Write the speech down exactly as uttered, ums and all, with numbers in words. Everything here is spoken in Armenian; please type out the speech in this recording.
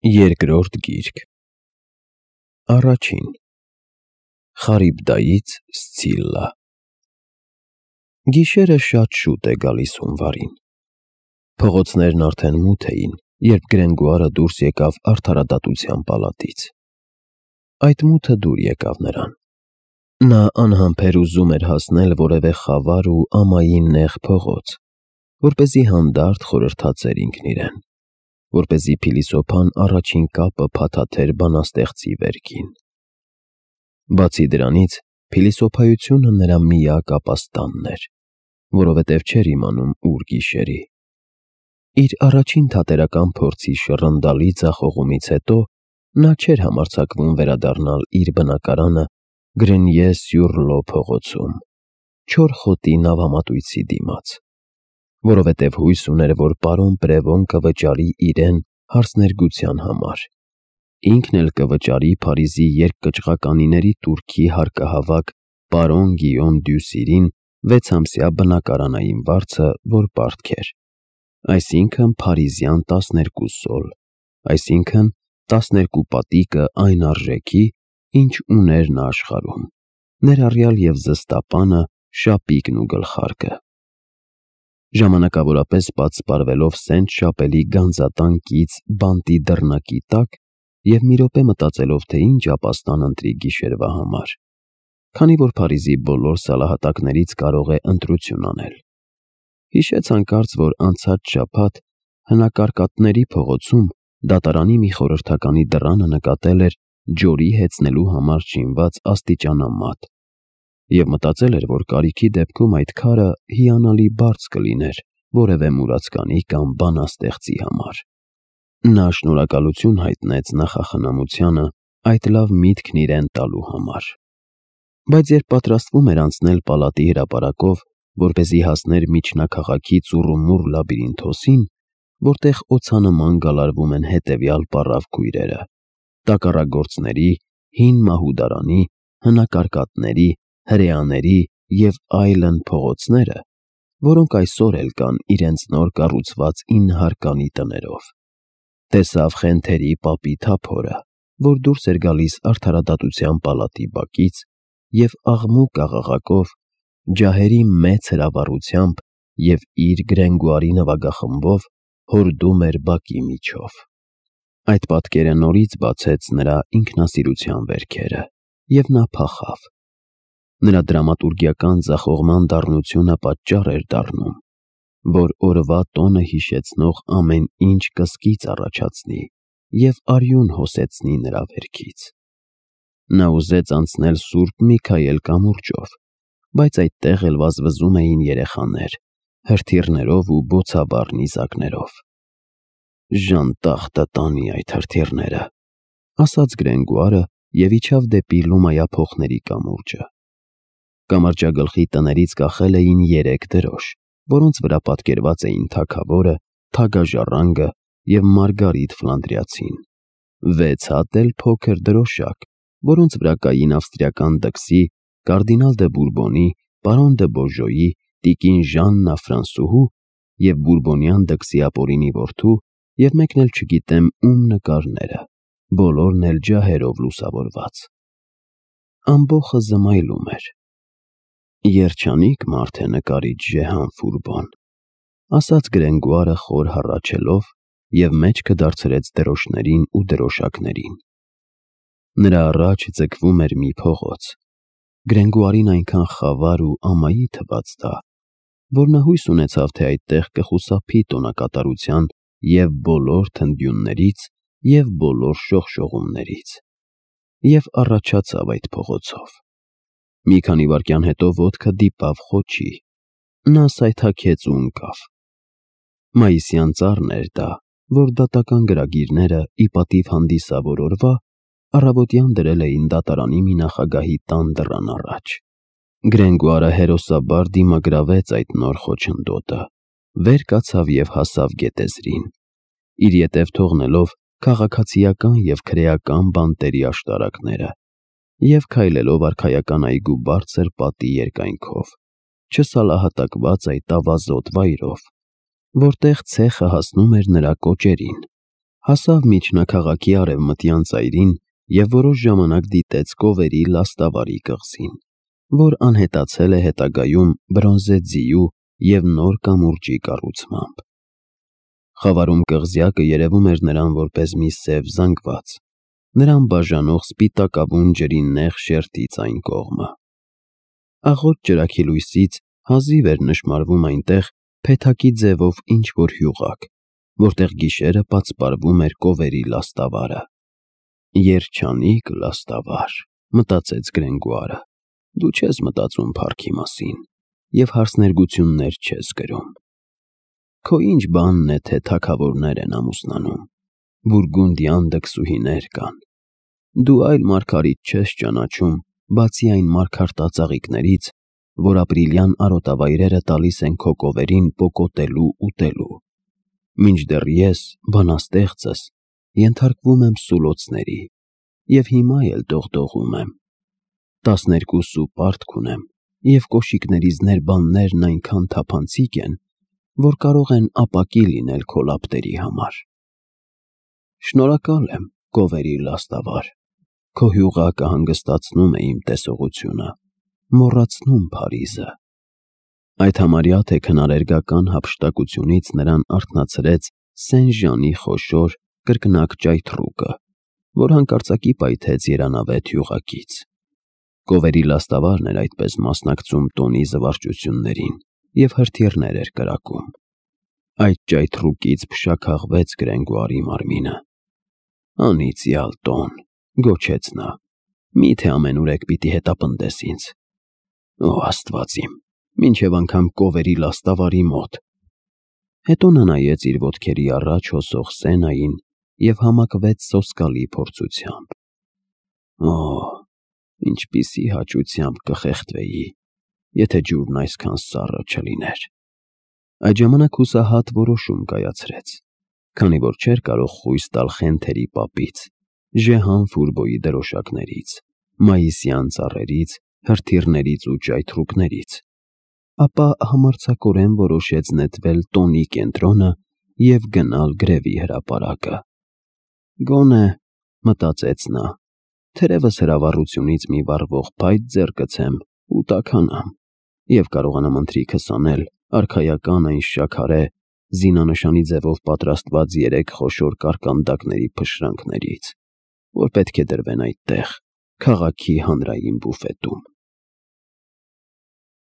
Երկրորդ գիրք Առաջին Խարիբդայից Սցիլլա Գիշերը շատ շուտ է գալիս հունվարին։ Փողոցներն արդեն մութ էին, երբ Գրենգուարը դուրս եկավ արդարադատության պալատից։ Այդ մութը դուր եկավ նրան։ Նա անհամբեր ուզում էր հասնել որևէ խավար ու ամայի նեղ փողոց, որպեսզի հանդարտ խորհրդացեր ինքն իրեն, որպեսզի փիլիսոփան առաջին կապը փաթաթեր բանաստեղծի վերքին։ Բացի դրանից, փիլիսոփայությունը նրա միակ ապաստանն էր, որովհետև չէր իմանում ուր գիշերի։ Իր առաջին թատերական փորձի շռնդալի ձախողումից հետո նա չէր համարձակվում վերադառնալ իր բնակարանը Գրենիե-սյուր-Լո փողոցում, չոր խոտի նավամատույցի դիմաց, որովհետև հույս ուներ, որ պարոն Պրևոն կվճարի իրեն հարցներգության համար, ինքն էլ կվճարի Փարիզի երկկճղականիների տուրքի հարկահավաք պարոն Գիյոմ Դյուսիրին վեցամսյա բնակարանային վարձը, որ պարտք էր, այսինքն փարիզյան տասներկու սոլ, այսինքն տասներկու պատիկը այն արժեքի, ինչ ուներ նա աշխարհում, ներառյալ և զստապանը, շապիկն ու գլխարկը։ Ժամանակավորապես պատսպարվելով սենթ Շապելի գանձատան կից բանտի դռնակի տակ և մի րոպե մտածելով, թե ինչ ապաստան ընտրի գիշերվա համար, քանի որ Փարիզի բոլոր սալահատակներից կարող է ընտրություն անել, հիշեց հանկարծ, որ անցած շաբաթ հնակարկատների փողոցում դատարանի մի խորհրդականի դռանը նկատել էր ջորի հեծնելու համար շինված աստիճանամատ և մտածել էր, որ կարիքի դեպքում այդ քարը հիանալի բարձ կլիներ որևէ մուրացկանի կամ բանաստեղծի համար։ Նա շնորհակալություն հայտնեց նախախնամությանը այդ լավ միտքն իրեն տալու համար, բայց երբ պատրաստվում էր անցնել պալատի հրապարակով, որպեսզի հասներ միջնաքաղաքի ծուռումուռ լաբիրինթոսին, որտեղ օձանման գալարվում են հետևյալ պառավ քույրերը՝ տակառագործների, հին մահուդարանի, հնակարկատների, հրեաների և այլն փողոցները, որոնք այսօր էլ կան իրենց նոր կառուցված իննհարկանի տներով, տեսավ Խենթերի պապի թափորը, որ դուրս էր գալիս արդարադատության պալատի բակից և աղմուկ աղաղակով, ջահերի մեծ հրավառությամբ և իր Գրենգուարի նվագախմբով հորդում էր բակի միջով։ Այդ պատկերը նորից բացեց նրա ինքնասիրության վերքերը, և նա փախավ։ Նրա դրամատուրգիական ձախողման դառնությունը պատճառ էր դառնում, որ օրվա տոնը հիշեցնող ամեն ինչ կսկիծ առաջացնի և արյուն հոսեցնի նրա վերքից։ Նա ուզեց անցնել Սուրբ Միքայել կամուրջով, բայց այդտեղ էլ վազվզում էին երեխաներ, հրթիռներով ու բոցավառ նիզակներով։ «Ժանտախտը տանի այդ հրթիռները», ասաց Գրենգուարը և իջավ դեպի լումայափոխների կամուրջը։ Կամրջագլխի տներից կախել էին երեք դրոշ, որոնց վրա պատկերված էին թագավորը, թագաժառանգը և Մարգարիտ Ֆլանդրիացին, վեց հատ էլ փոքր դրոշակ, որոնց վրա կային ավստրիական դքսի, կարդինալ դը Բուրբոնի, պարոն դը Բոժոյի, տիկին Ժաննա Ֆրանսուհու և բուրբոնյան դքսի ապօրինի որդու և մեկն էլ չգիտեմ ում նկարները, բոլորն էլ ջահերով լուսավորված։ Ամբոխը զմայլում էր։ «Երջանիկ մարդ է նկարիչ Ժեհան Ֆուրբոն», ասաց Գրենգուարը խոր հառաչելով և մեջքը դարձրեց դրոշներին ու դրոշակներին։ Նրա առաջ ձգվում էր մի փողոց։ Գրենգուարին այնքան խավար ու ամայի թվաց դա, որ նա հույս ունեցավ, թե այդտեղ կխուսափի տոնակատարության և բոլոր թնդյուններից և բոլոր շողշողումներից, և առաջացավ այդ փողոցով։ Մի քանի վայրկյան հետո ոտքը դիպավ խոչի, նա սայթաքեց ու ընկավ։ Մայիսյան ծառն էր դա, որ դատական գրագիրները, ի պատիվ հանդիսավոր օրվա, առավոտյան դրել էին դատարանի մի նախագահի տան դռան առաջ։ Գրենգուարը հերոսաբար դիմագրավեց այդ նոր խոչընդոտը, վեր կացավ և հասավ գետեզրին, իր ետև թողնելով քաղաքացիական և քրեական բանտերի աշտարակները և քայլելով արքայական այգու բարձր պատի երկայնքով, չսալահատակված այդ ավազոտ վայրով, որտեղ ցեխը հասնում էր նրա կոճերին, Հասավ միջնակաղաքի արևմտյան ծայրին և որոշ ժամանակ դիտեց Կովերի լաստավարի կղզին, որ անհետացել է հետագայում բրոնզե ձիու և նոր կամուրջի կառուցմամբ։ Խավարում կղզյակը երևում էր նրան որպես մի սև զանգված, նրան բաժանող սպիտակավուն ջրի նեղ շերտից այն կողմը։ Աղոտ ճրագի լույսից հազիվ էր նշմարվում այնտեղ փեթակի ձևով ինչ-որ հյուղակ, որտեղ գիշերը պատսպարվում էր Կովերի լաստավարը։ «Երջանիկ լաստավար», մտածեց Գրենգոարը, դու չես մտածում փառքի մասին և հարցներգություններ չես գրում։ Քո ինչ բանն է, թե թագավորներ են ամուսնանում, Բուրգունդյան դքսուհիներ կան։ Դու այլ մարգարիտ չես ճանաչում, բացի այն մարգարտածաղիկներից, որ ապրիլյան արոտավայրերը տալիս են քո կովերին պոկոտելու ուտելու, մինչդեռ ես, բանաստեղծս, ենթարկվում եմ սուլոցների և հիմա էլ դողդողում եմ։ Տասներկու սու պարտք ունեմ, և կոշիկներիս ներբաններն այնքան թափանցիկ են, որ կարող են ապակի լինել քո լապտերի համար։ Շնորհակալ եմ, Կովերի լաստավար, քո հյուղակը հանգստացնում է իմ տեսողությունը, մոռացնում Փարիզը։ Այդ համարյա թե քնարերգական հափշտակությունից նրան արթնացրեց Սեն֊Ժանի խոշոր, կրկնակ ճայթռուկը, որ հանկարծակի պայթեց երանավետ հյուղակից։ Կովերի լաստավարն էր այդպես մասնակցում տոնի զվարճություններին և հրթիռներ էր կրակում։ Այդ ճայթռուկից փշաքաղվեց Գրենգոարի մարմինը։ «Անիծյալ տոն», գոչեց նա, «միթե ամենուրեք պիտի հետապնդես ինձ։ Օ Աստված իմ, մինչև անգամ Կովերի լաստավարի մոտ»։ Հետո նա նայեց իր ոտքերի առաջ հոսող Սենային և համակվեց սոսկալի փորձությամբ։ Օ, ինչպիսի հաճությամբ կխեղդվեի, եթե ջուրն այսքան սառը չլիներ։ Այդ ժամանակ հուսահատ որոշում կայացրեց, քանի որ չէր կարող խույս տալ Խենթերի պապից, Ժեհան Ֆուրբոյի դրոշակներից, մայիսյան ծառերից, հրթիռներից ու ճայթռուկներից, ապա համարձակորեն որոշեց նետվել տոնի կենտրոնը և գնալ գրևի հրապարակը։ Գոնե, մտածեց նա, թերևս հրավառությունից մի վառվող փայտ ձեռք գցեմ ու տաքանամ և կարողանամ ընթրիքս անել արքայական այն շաքարե, զինանշանի ձևով պատրաստված երեք խոշոր կարկանդակների փշրանքներից, որ պետք է դրվեն այդտեղ, քաղաքի հանրային բուֆետում։